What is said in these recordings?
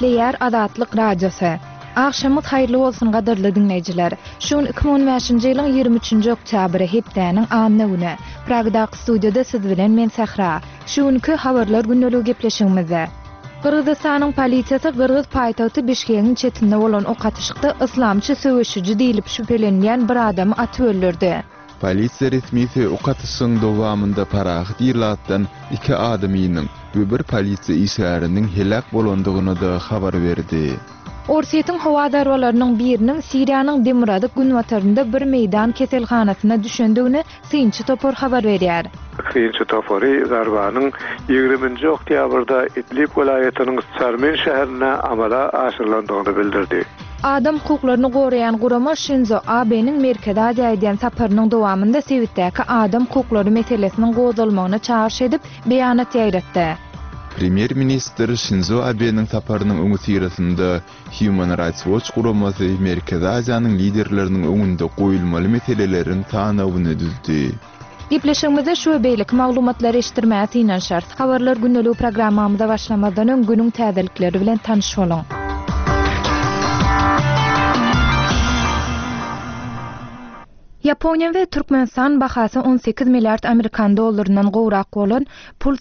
Gepleýär Azatlyk Radiosy. Agşamyňyz haýyrly bolsun gadyrly diňleýjiler. Şu gün 2015-nji ýylyň 23-nji oktýabry, hepdäniň anna güni. Pragadaky studiýada siz bilen men Sähra. Şu günki Habarlar gündeligi gepleşigimizde. Gyrgyzystanyň polisiýasy gyrgyz paýtagty Bişkegiň çetinde bolan ok atyşykda yslamçy söweşiji diýlip şübhelenilýän bir adamy atyp öldürdi. Polisiýa resmisi ok atyşygyň dowamynda parahat ilatdan iki adamynyň we bir polisiýa işgäriniň heläk bolandygyny-da habar berdi. Orsýetiň howa zarbalarynyň biriniň Siriýanyň demirgazyk-günbatarynda bir meýdan keselhanasyna düşendigini synçy topar habar berýär. Synçy topary zarbanyň ýigriminji oktýabrda Idlib welaýatynyň Sarmin şäherinde amala aşyrylandygyny bildirdi. Adam hukuklaryny goraýan gurama Şinzo Abeniň Merkezi Aziýa edýän saparynyň dowamynda sebitdäki adam hukuklary meselesiniň gozgalmagyna çagyryş edip, beýanat ýaýratdy. Premýer-ministr Şinzo Abeniň saparynyň öňüsyrasynda Human Rights Watch guramasy Merkezi Aziýanyň liderleriniň öňünde goýulmaly meseleleriň sanawyny düzdi. Gepleşigimizde şu we beýleki maglumatlary eşitdirmäge synanyşarys. Habarlar gündeligi programmamyza başlamazdan öň günüň täzelikleri bilen tanyş boluň. Ýaponiýa we Türkmenistan bahasy 18 milliard amerikan dollaryndan gowrak bolan pul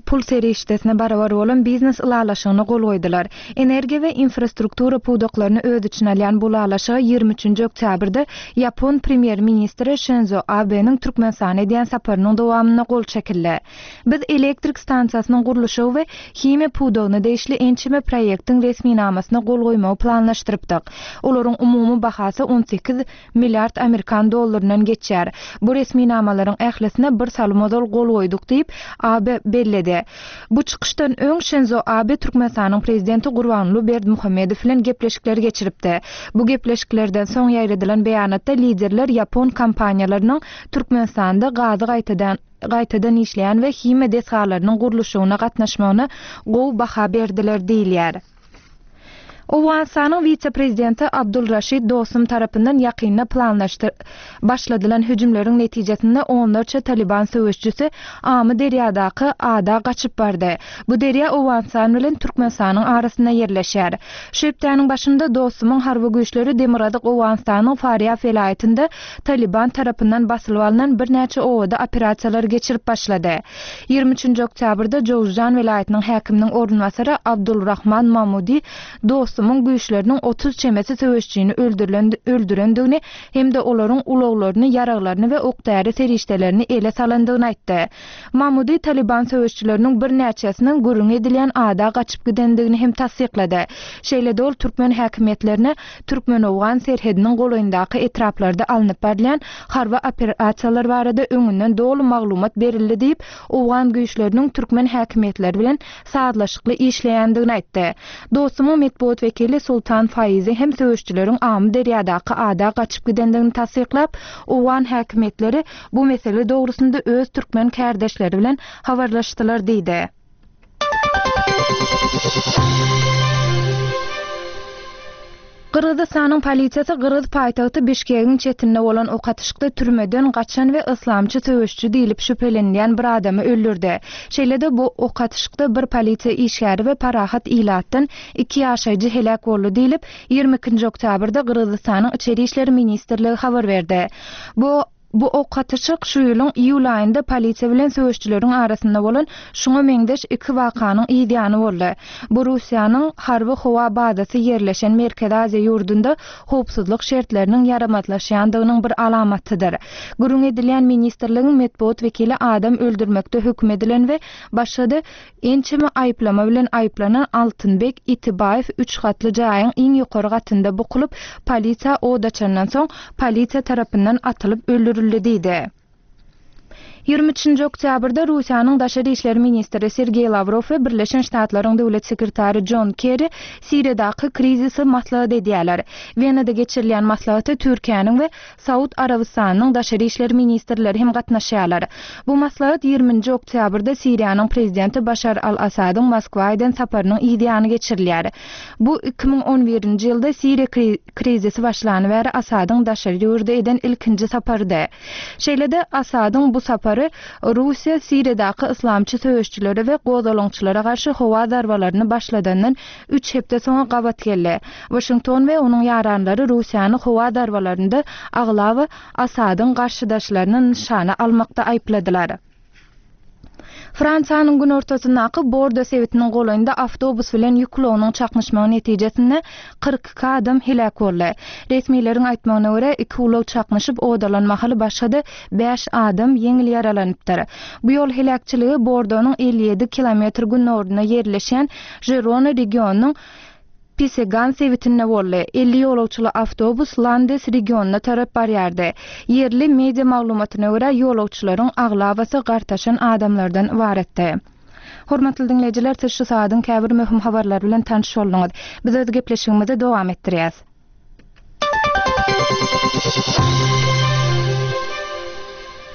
pul serişdesine barabar bolan biznes ylalaşygyna gol goýdular. Energiýa we infrastruktura pudaklaryny öz içine alýan bu ylalaşyga 23-nji oktýabrda ýapon premýer-ministri Şinzo Abeniň Türkmenistana edýän saparynyň dowamynda gol çekildi. Biz elektrik stansiýasynyň gurluşygy we himiýa pudagyna degişli ençeme proýektiň resminamasyna gol goýmagy planlaşdyrypdyk. Olaryň umumy bahasy 18 Milliard amerikan dollaryndan geçýär. Bu resminamalaryň ählisine bir salym ozal gol goýduk diýip, Abe belledi. Bu çykyşdan öň Şinzo Abe Türkmenistanyň Prezidenti Gurbanguly Berdimuhamedow bilen gepleşikler geçiripdi. Bu gepleşiklerden soň ýaýradylan beýanatda liderler ýapon kompaniýalarynyň Türkmenistanda gazy gaýtadan gaýtadan işleýän we himiýa desgalarynyň gurluşygyna gatnaşmagyna gowy baha berdiler diýilýär. Owganystanyň wise-prezidenti Abdul Raşid Dostum tarapyndan ýakynda planlaşdy başladylan hüjümleriň netijesinde onlarça Talyban söweşijisi Amy derýadaky ada gaçyp bardy. Bu derýa Owganystan bilen Türkmenistanyň arasynda ýerleşýär. Şu hepdäniň başynda Dostumyň harby güýçleri demirgazyk Owganystanyň Farýab welaýatynda Talyban tarapyndan basylyp alnan birnäçe obada operasiýalary geçirip başlady. 23-nji oktýabrda Jowzjan welaýatynyň häkiminiň orunbasary Abdul Rahman Mamudi Dostumyň güýçleriniň 30 çemesi söweşijini öldürilen öldürendigini hem-de olaryň ulaglaryny, ýaraglaryny we ok-däri serişdelerini ele salandygyny aýtdy. Mamudi Talyban söweşijileriniň birnäçesiniň gürrüňi edilýän ada gaçyp gidendigini hem tassyklady. Şeýle-de ol türkmen häkimiýetlerine türkmen-owgan serhediniň golaýyndaky etraplarda alnyp barylýan harby operasiýalar barada öňünden doly maglumat berildi diýip, owgan güýçleriniň türkmen häkimiýetleri bilen sazlaşykly işleýändigini aýtdy. Dostumyň metbugat wekili Sultan Faizi hem söweşijileriň Amyderýadaky ada gaçyp gidendigini tassyklap, owgan häkimiýetleri bu mesele dogrusynda öz türkmen kärdeşleri bilen habarlaşdylar diýdi. Gyrgyzystanyň polisiýasy gyrgyz paýtagty Bişkegiň çetinde bolan ok atyşykda türmeden gaçan we yslamçy söweşiji diýlip şübhelenilýän bir adamy öldürdi. Şeýle-de bu ok atyşykda bir polisiýa işgäri we parahat ilatdan iki ýaşaýjy heläk boldy diýlip, 22-nji oktýabrda Gyrgyzystanyň Içeri işler ministrligi habar berdi. Bu Bu ok atyşyk şu ýylyň iýul aýynda polisiýa bilen söweşijileriň arasynda bolan şuňa meňzeş iki wakanyň yz ýany boldy. Bu Russiýanyň harby-howa bazasy ýerleşen Merkezi Aziýa ýurdunda howpsuzlyk şertleriniň ýaramazlaşýandygynyň bir alamatydyr. Gürrüň edilýän ministrligiň metbugat wekili adam öldürmekde höküm edilen we başga-da Ençeme aýyplama bilen aýyplanan Altynbek Itibaýew üç gatly jaýyň iň ýokary gatynda bukulyp, polisiýa od açandan soň, polisiýa tarapyndan atylyp öldürildi diýdi. 23-nji oktýabrda Russiýanyň daşary işler ministri Sergeý Lawrow we Birleşen Ştatlaryň döwlet sekretary Jon Kerri Siriýadaky krizisi maslahat edýärler. Wenada geçirilýän maslahata Türkiýäniň we Saud Arabystanynyň daşary işler ministrleri hem gatnaşýarlar. Bu maslahat 20-nji oktýabrda Siriýanyň prezidenti Başar al-Assadyň Moskwa eden saparynyň yz ýany geçirilýär. Bu 2011-nji ýylda Siriýa krizisi başlany bäri Assadyň daşary ýurda eden ilkinji saparydy. Şeýle-de, Assadyň bu sapary. sapary Russiýa Siriýadaky yslamçy söweşijilere we gozgalaňçylara garşy howa zarbalaryny başladandan üç hepde soňa gabat geldi. Waşington we onuň ýaranlary Russiýany howa zarbalarynda aglaba Asadyň garşydaşlaryny nyşana almakda aýypladylar. Fransiýanyň günortasyndaky Bordo sebitiniň golaýynda awtobus bilen ýük ulagynyň çaknyşmagy netijesinde 42 adam heläk boldy. Resmileriň aýtmagyna görä, iki ulag çaknyşyp ot alan mahaly başga-da bäş adam ýeňil ýaralanypdyr. Bu ýol heläkçiligi Bordonyň 57 kilometr günorynda ýerleşýän Žirona regionynyň Pisegan sebitinde boldy. 50 ýolagçyly awtobus Landes regionyna tarap barýardy. Ýerli media maglumatyna görä, ýolagçylaryň aglabasy gartaşan adamlardan ybaratdy. Hormatly diňleýjiler, siz şu sagadyň käbir möhüm habarlary bilen tanyş bolduňyz. Biz öz gepleşigimizi dowam etdirýäs.